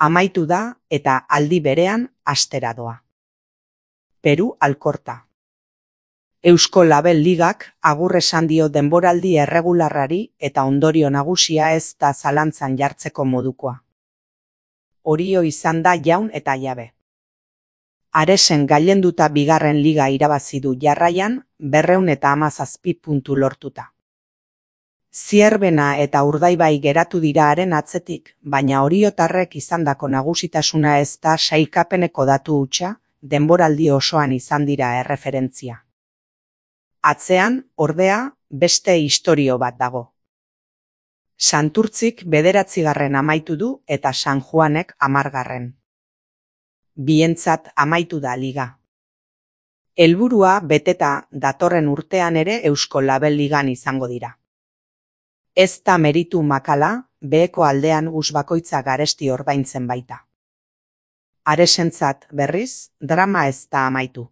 Amaitu da eta aldi berean astera doa. Peru Alkorta. Eusko Label Ligak agur esan dio denboraldi erregularrari eta ondorio nagusia ez da zalantzan jartzeko modukoa. Orio izan da jaun eta jabe. Aresen gailenduta bigarren liga irabazi du jarraian 217 puntu lortuta. Zierbena eta Urdaibai geratu dira haren atzetik, baina oriotarrek izandako nagusitasuna ez da sailkapeneko datu hutsa, denboraldi osoan izan dira erreferentzia. Atzean, ordea, beste istorio bat dago. Santurtzik 9. amaitu du eta San Juanek 10. Bientzat amaitu da liga. Helburua beteta datorren urtean ere Eusko Label Ligan izango dira. Ez da meritu makala, beheko aldean bakoitza garesti ordaintzen baita. Aresentzat berriz, drama ez da amaitu.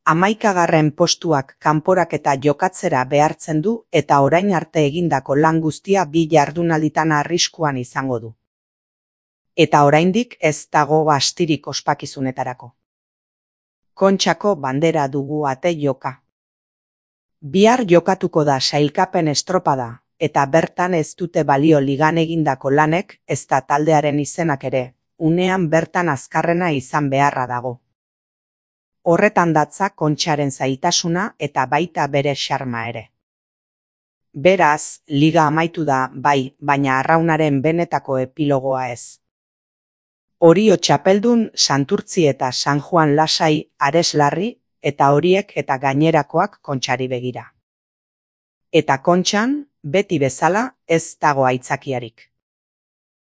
11. postuak kanporak eta jokatzera behartzen du eta orain arte egindako lan guztia 2 jardunalditan arriskuan izango du. Eta oraindik ez dago astirik ospakizunetarako. Kontxako bandera dugu ate joka. Bihar jokatuko da sailkapen estropada, eta bertan ez dute balio ligan egindako lanek ez da taldearen izenak ere, unean bertan azkarrena izan beharra dago. Horretan datza Kontxaren zaitasuna eta baita bere xarma ere. Beraz, liga amaitu da bai, baina arraunaren benetako epilogoa ez. Orio txapeldun Santurtzi eta San Juan lasai Ares larri, eta horiek eta gainerakoak Kontxari begira. Eta Kontxan, beti bezala, ez dago aitzakiarik.